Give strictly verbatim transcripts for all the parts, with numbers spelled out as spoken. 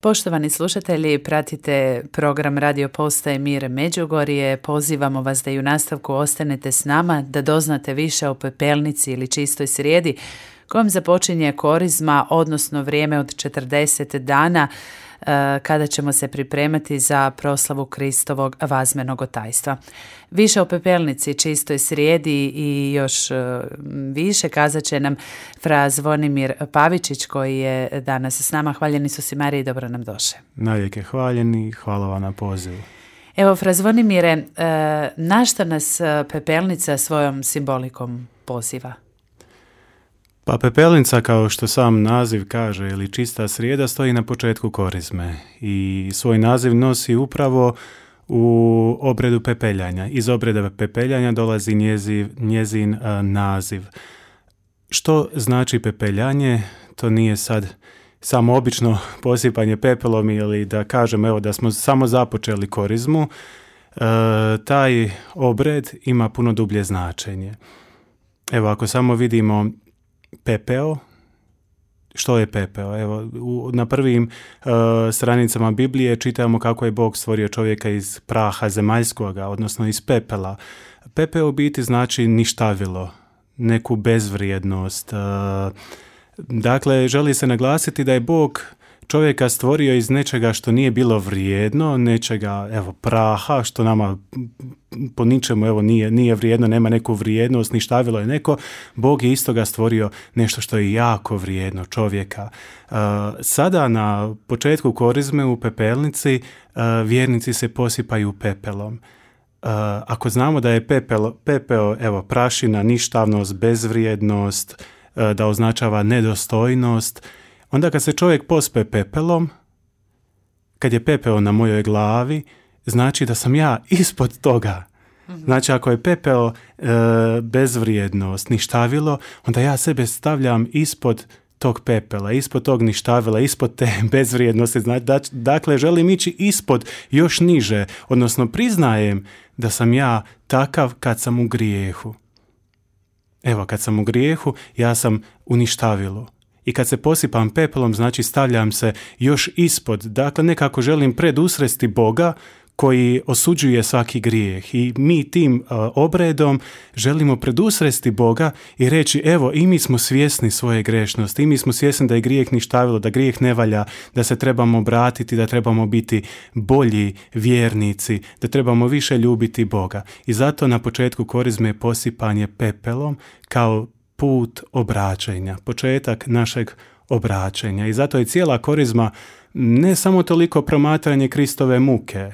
Poštovani slušatelji, pratite program Radio Postaje Mir Međugorje. Pozivamo vas da i u nastavku ostanete s nama, da doznate više o pepelnici ili čistoj srijedi, kojom započinje korizma, odnosno vrijeme od četrdeset dana, kada ćemo se pripremati za proslavu Kristovog vazmenog otajstva. Više o pepelnici, čistoj srijedi i još više kazat će nam fra Zvonimir Pavičić, koji je danas s nama. Hvaljeni su si, Mariji, dobro nam došli. Navijek hvaljeni, hvala vam na pozivu. Evo, fra Zvonimire, na šta nas pepelnica svojom simbolikom poziva? Pa pepelnica, kao što sam naziv kaže, ili čista srijeda, stoji na početku korizme i svoj naziv nosi upravo u obredu pepeljanja. Iz obreda pepeljanja dolazi njeziv, njezin a, naziv. Što znači pepeljanje? To nije sad samo obično posipanje pepelom ili da kažem evo da smo samo započeli korizmu. E, taj obred ima puno dublje značenje. Evo, ako samo vidimo pepeo, što je pepeo? Evo, u, na prvim uh, stranicama Biblije čitamo kako je Bog stvorio čovjeka iz praha zemaljskoga, odnosno iz pepela. Pepeo u biti znači ništavilo, neku bezvrijednost. Uh, dakle, želi se naglasiti da je Bog čovjeka stvorio iz nečega što nije bilo vrijedno, nečega, evo, praha, što nama po ničemu, evo, nije, nije vrijedno, nema neku vrijednost, ništavilo je neko. Bog je istoga stvorio nešto što je jako vrijedno, čovjeka. Uh, sada na početku korizme u pepelnici uh, vjernici se posipaju pepelom. Uh, ako znamo da je pepel, pepeo, evo, prašina, ništavnost, bezvrijednost, uh, da označava nedostojnost, onda kad se čovjek pospe pepelom, kad je pepeo na mojoj glavi, znači da sam ja ispod toga. Mm-hmm. Znači ako je pepeo e, bezvrijednost, ništavilo, onda ja sebe stavljam ispod tog pepela, ispod tog ništavila, ispod te bezvrijednosti. Znači, dakle, želim ići ispod, još niže, odnosno priznajem da sam ja takav kad sam u grijehu. Evo, kad sam u grijehu, ja sam u ništavilu. I kad se posipam pepelom, znači stavljam se još ispod. Dakle, nekako želim predusresti Boga koji osuđuje svaki grijeh. I mi tim uh, obredom želimo predusresti Boga i reći, evo, i mi smo svjesni svoje grešnosti, i mi smo svjesni da je grijeh ništavilo, da grijeh ne valja, da se trebamo obratiti, da trebamo biti bolji vjernici, da trebamo više ljubiti Boga. I zato na početku korizme je posipanje pepelom kao put obraćenja, početak našeg obraćenja. I zato je cijela korizma ne samo toliko promatranje Kristove muke.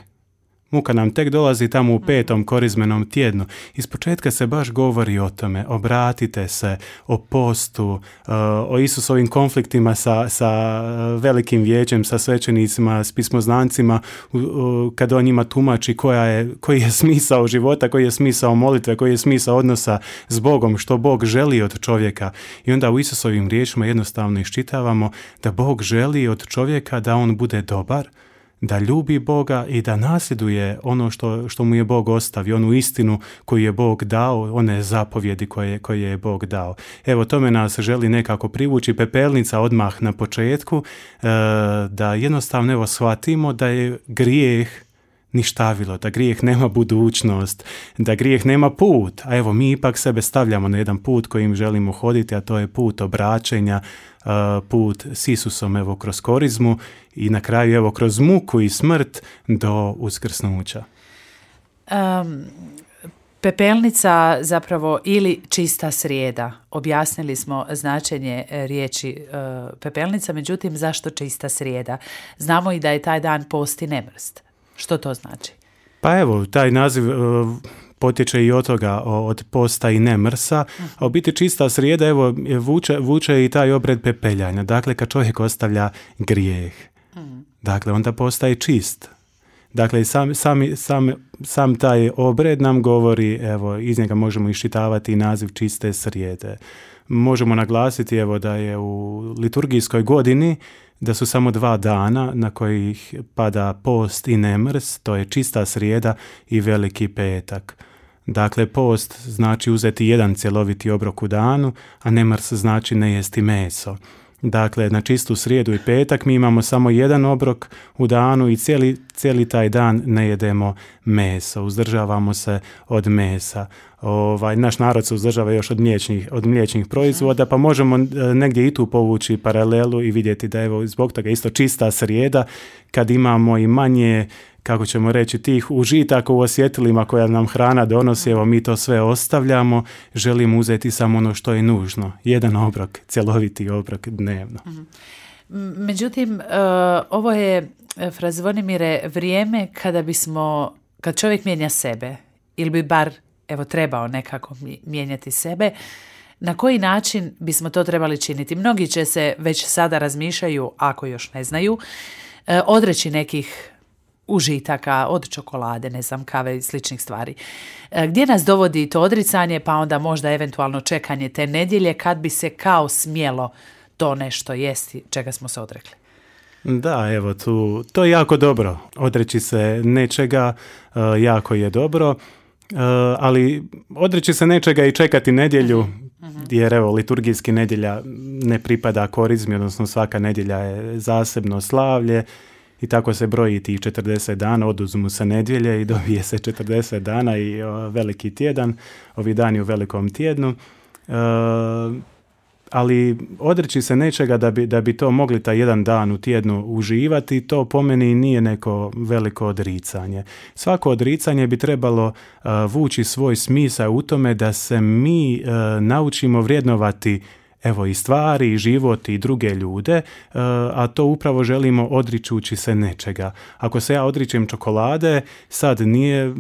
Muka nam tek dolazi tamo u petom korizmenom tjednu. Iz početka se baš govori o tome, obratite se, o postu, o Isusovim konfliktima sa, sa velikim vijećem, sa svećenicima, s pismoznancima, kad on njima tumači koja je, koji je smisao života, koji je smisao molitve, koji je smisao odnosa s Bogom, što Bog želi od čovjeka. I onda u Isusovim riječima jednostavno iščitavamo da Bog želi od čovjeka da on bude dobar, da ljubi Boga i da nasljeduje ono što, što mu je Bog ostavio, onu istinu koju je Bog dao, one zapovjedi koje, koje je Bog dao. Evo, tome nas želi nekako privući pepelnica odmah na početku, e, da jednostavno evo shvatimo da je grijeh ništavilo, da grijeh nema budućnost, da grijeh nema put, a evo mi ipak sebe stavljamo na jedan put kojim želimo hoditi, a to je put obraćenja, put s Isusom evo kroz korizmu i na kraju evo kroz muku i smrt do uskrsnuća. Um, pepelnica zapravo ili čista srijeda. Objasnili smo značenje riječi uh, pepelnica, međutim zašto čista srijeda? Znamo i da je taj dan post i nemrst. Što to znači? Pa evo, taj naziv uh, potječe i od toga, od posta i nemrsa, a u biti čista srijeda, evo, vuče, vuče i taj obred pepeljanja. Dakle, kad čovjek ostavlja grijeh, dakle, onda postaje čist. Dakle, sam, sam, sam, sam taj obred nam govori, evo, iz njega možemo iščitavati naziv čiste srijede. Možemo naglasiti, evo, da je u liturgijskoj godini da su samo dva dana na kojih pada post i nemrs, to je čista srijeda i veliki petak. Dakle, post znači uzeti jedan cjeloviti obrok u danu, a nemrs znači ne jesti meso. Dakle, na čistu srijedu i petak mi imamo samo jedan obrok u danu i cijeli, cijeli taj dan ne jedemo meso, uzdržavamo se od mesa. Ovaj, naš narod se uzdržava još od mliječnih, od mliječnih proizvoda, pa možemo negdje i tu povući paralelu i vidjeti da evo zbog toga isto čista srijeda, kad imamo i manje, kako ćemo reći, tih užitaka u osjetilima koja nam hrana donosi, evo mi to sve ostavljamo, želimo uzeti samo ono što je nužno. Jedan obrok, cjeloviti obrok dnevno. Međutim, ovo je, fra Zvonimire, vrijeme kada bismo, kad čovjek mijenja sebe, ili bi bar evo trebao nekako mijenjati sebe, na koji način bismo to trebali činiti? Mnogi će se već sada razmišljaju, ako još ne znaju, odreći nekih užitaka, od čokolade, ne znam, kave i sličnih stvari. Gdje nas dovodi to odricanje, pa onda možda eventualno čekanje te nedjelje kad bi se kao smjelo to nešto jesti čega smo se odrekli? Da, evo tu, to je jako dobro. Odreći se nečega uh, jako je dobro, uh, ali odreći se nečega i čekati nedjelju, uh-huh. jer evo liturgijski nedjelja ne pripada korizmi, odnosno svaka nedjelja je zasebno slavlje. I tako se broji tih četrdeset dana, oduzmu se nedjelje i dobije se četrdeset dana i o, veliki tjedan, ovi dani u velikom tjednu. E, ali odreći se nečega da bi, da bi to mogli taj jedan dan u tjednu uživati, to po meni nije neko veliko odricanje. Svako odricanje bi trebalo uh, vući svoj smisao u tome da se mi uh, naučimo vrijednovati evo i stvari, i život, i druge ljude, a to upravo želimo odričući se nečega. Ako se ja odričem čokolade, sad nije,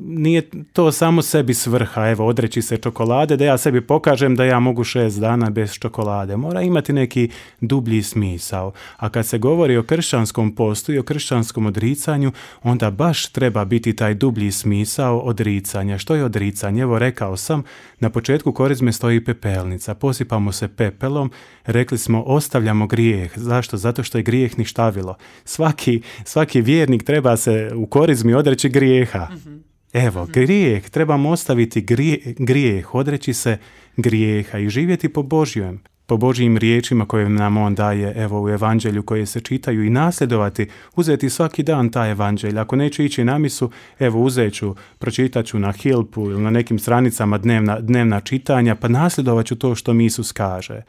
nije to samo sebi svrha, evo odreći se čokolade, da ja sebi pokažem da ja mogu šest dana bez čokolade. Mora imati neki dublji smisao. A kad se govori o kršćanskom postu i o kršćanskom odricanju, onda baš treba biti taj dublji smisao odricanja. Što je odricanje? Evo rekao sam, na početku korizme stoji pepelnica. Posipamo se pepelom, rekli smo ostavljamo grijeh. Zašto? Zato što je grijeh ništavilo. Svaki, svaki vjernik treba se u korizmi odreći grijeha. Mm-hmm. Evo, mm-hmm. grijeh, trebamo ostaviti grijeh, grijeh, odreći se grijeha i živjeti po Božjem, po Božjim riječima koje nam on daje evo u evanđelju koje se čitaju i nasljedovati, uzeti svaki dan taj evanđelj. Ako neću ići na misu, evo uzet ću, pročitat ću na Hilpu ili na nekim stranicama dnevna, dnevna čitanja, pa nasljedovat ću to što mi Isus kaže.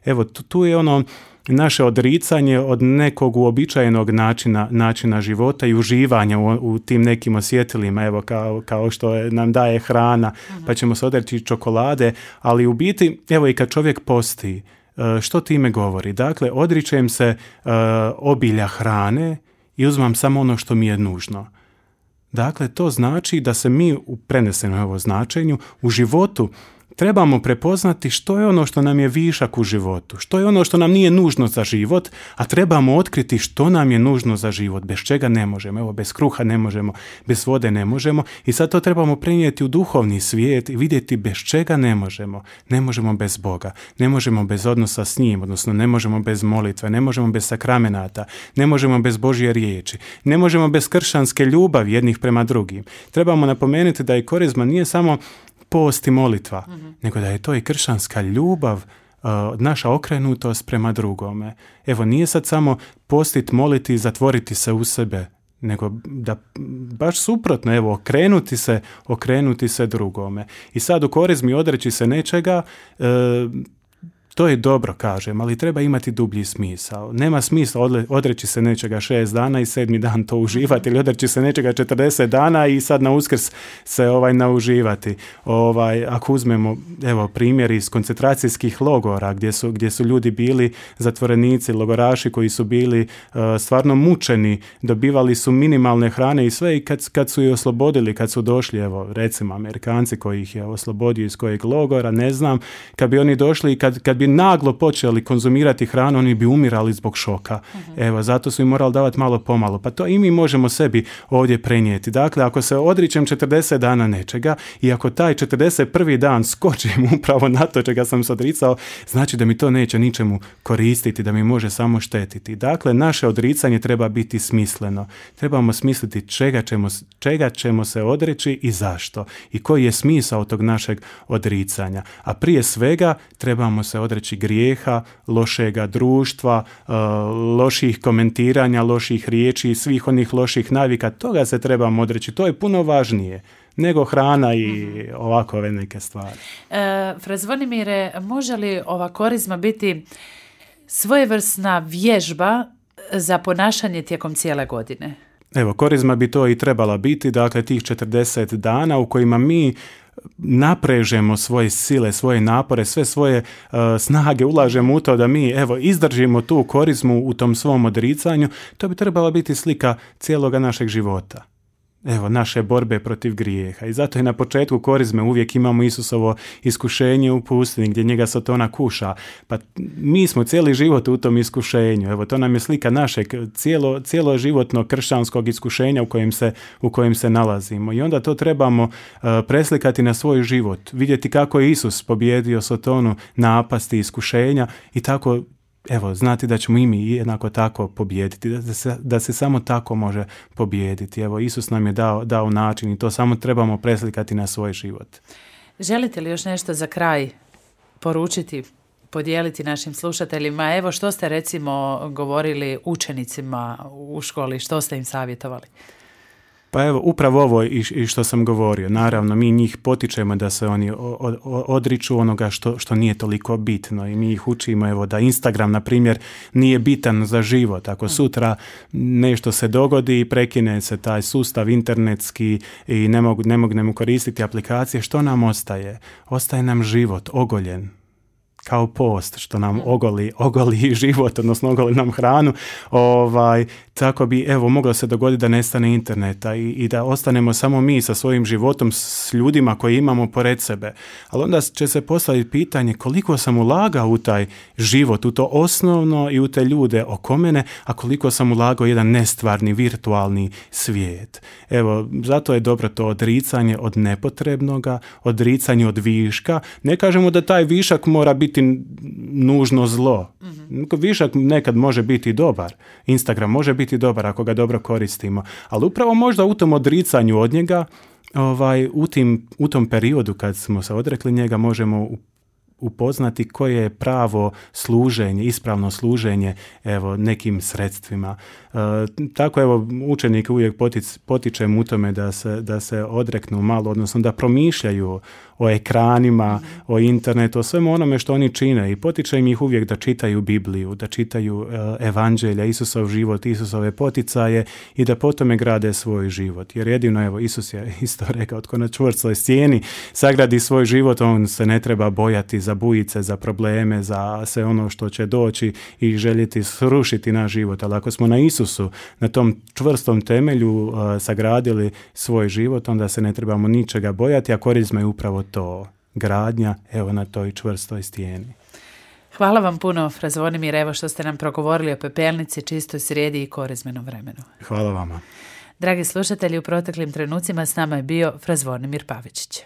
Evo, tu, tu je ono naše odricanje od nekog uobičajenog načina, načina života i uživanja u, u tim nekim osjetilima, evo kao, kao što je, nam daje hrana, pa ćemo se odreći čokolade, ali u biti, evo i kad čovjek posti, što time govori? Dakle, odričem se uh, obilja hrane i uzmam samo ono što mi je nužno. Dakle, to znači da se mi u prenesenom ovo značenju u životu trebamo prepoznati što je ono što nam je višak u životu, što je ono što nam nije nužno za život, a trebamo otkriti što nam je nužno za život, bez čega ne možemo. Evo, bez kruha ne možemo, bez vode ne možemo i sad to trebamo prenijeti u duhovni svijet i vidjeti bez čega ne možemo. Ne možemo bez Boga, ne možemo bez odnosa s njim, odnosno ne možemo bez molitve, ne možemo bez sakramenata, ne možemo bez Božje riječi, ne možemo bez kršćanske ljubavi jednih prema drugim. Trebamo napomenuti da i korizma nije samo post i molitva, mm-hmm. nego da je to i kršćanska ljubav, uh, naša okrenutost prema drugome. Evo, nije sad samo postit, moliti i zatvoriti se u sebe, nego da baš suprotno, evo, okrenuti se, okrenuti se drugome. I sad u korizmi odreći se nečega, uh, to je dobro, kažem, ali treba imati dublji smisao. Nema smisla odreći se nečega šest dana i sedmi dan to uživati ili odreći se nečega četrdeset dana i sad na Uskrs se ovaj nauživati. Ovaj, ako uzmemo evo primjer iz koncentracijskih logora gdje su, gdje su ljudi bili zatvorenici, logoraši koji su bili uh, stvarno mučeni, dobivali su minimalne hrane i sve i kad, kad su ih oslobodili, kad su došli, evo recimo Amerikanci koji ih je oslobodio iz kojeg logora, ne znam, kad bi oni došli i kad, kad bi naglo počeli konzumirati hranu, oni bi umirali zbog šoka. Uh-huh. Evo, zato su im morali davati malo pomalo. Pa to i mi možemo sebi ovdje prenijeti. Dakle, ako se odričem četrdeset dana nečega i ako taj četrdeset prvi dan skočim upravo na to čega sam se odricao, znači da mi to neće ničemu koristiti, da mi može samo štetiti. Dakle, naše odricanje treba biti smisleno. Trebamo smisliti čega ćemo, čega ćemo se odreći i zašto. I koji je smisao tog našeg odricanja. A prije svega trebamo se odreći odreći grijeha, lošega društva, loših komentiranja, loših riječi, svih onih loših navika. Toga se trebamo odreći. To je puno važnije nego hrana i ovakove neke stvari. E, Fra Zvonimire, može li ova korizma biti svojevrsna vježba za ponašanje tijekom cijele godine? Evo, korizma bi to i trebala biti, dakle tih četrdeset dana u kojima mi naprežemo svoje sile, svoje napore, sve svoje uh, snage ulažemo u to da mi evo izdržimo tu korizmu u tom svom odricanju. To bi trebala biti slika cijeloga našeg života. Evo, naše borbe protiv grijeha. I zato je na početku korizme uvijek imamo Isusovo iskušenje u pustini gdje njega Satana kuša. Pa mi smo cijeli život u tom iskušenju. Evo, to nam je slika našeg cijelo, cijelo životnog kršćanskog iskušenja u kojem se, u kojem se nalazimo. I onda to trebamo uh, preslikati na svoj život. Vidjeti kako je Isus pobjedio Satanu napasti iskušenja i tako evo, znati da ćemo i mi jednako tako pobijediti, da se, da se samo tako može pobijediti. Evo, Isus nam je dao, dao način i to samo trebamo preslikati na svoj život. Želite li još nešto za kraj poručiti, podijeliti našim slušateljima? Evo, što ste recimo govorili učenicima u školi, što ste im savjetovali? Pa evo, upravo ovo i što sam govorio. Naravno, mi njih potičemo da se oni odriču onoga što, što nije toliko bitno i mi ih učimo evo, da Instagram, na primjer, nije bitan za život. Ako sutra nešto se dogodi i prekine se taj sustav internetski i ne mogu, ne mognemo koristiti aplikacije, što nam ostaje? Ostaje nam život ogoljen. Kao post što nam ogoli, ogoli život, odnosno ogoli nam hranu, ovaj, tako bi, evo, moglo se dogoditi da nestane interneta i, i da ostanemo samo mi sa svojim životom, s ljudima koji imamo pored sebe. Ali onda će se postaviti pitanje koliko sam ulagao u taj život, u to osnovno i u te ljude oko mene, a koliko sam ulagao jedan nestvarni, virtualni svijet. Evo, zato je dobro to odricanje od nepotrebnoga, odricanje od viška. Ne kažemo da taj višak mora biti nužno zlo. Mm-hmm. Višak nekad može biti dobar. Instagram može biti dobar ako ga dobro koristimo. Ali upravo možda u tom odricanju od njega, ovaj, u, tim, u tom periodu kad smo se odrekli njega, možemo upoznati koje je pravo služenje, ispravno služenje evo, nekim sredstvima. E, tako evo, učenike uvijek potic, potičem u tome da se, da se odreknu malo, odnosno da promišljaju o ekranima, mm-hmm. o internetu, o svemu onome što oni čine i potičem ih uvijek da čitaju Bibliju, da čitaju uh, evanđelja, Isusov život, Isusove poticaje i da po tome grade svoj život. Jer jedino, evo, Isus je isto rekao, tko na čvrstoj stijeni sagradi svoj život, on se ne treba bojati za bujice, za probleme, za sve ono što će doći i željeti srušiti naš život. Ali ako smo na Isusu, na tom čvrstom temelju uh, sagradili svoj život, onda se ne trebamo ničega bojati, a korizma je upravo to, gradnja, evo na toj čvrstoj stijeni. Hvala vam puno, Fra Zvonimir, evo što ste nam progovorili o pepelnici, čistoj srijedi i korizmenom vremenu. Hvala vama. Dragi slušatelji, u proteklim trenucima s nama je bio Fra Zvonimir Pavičić.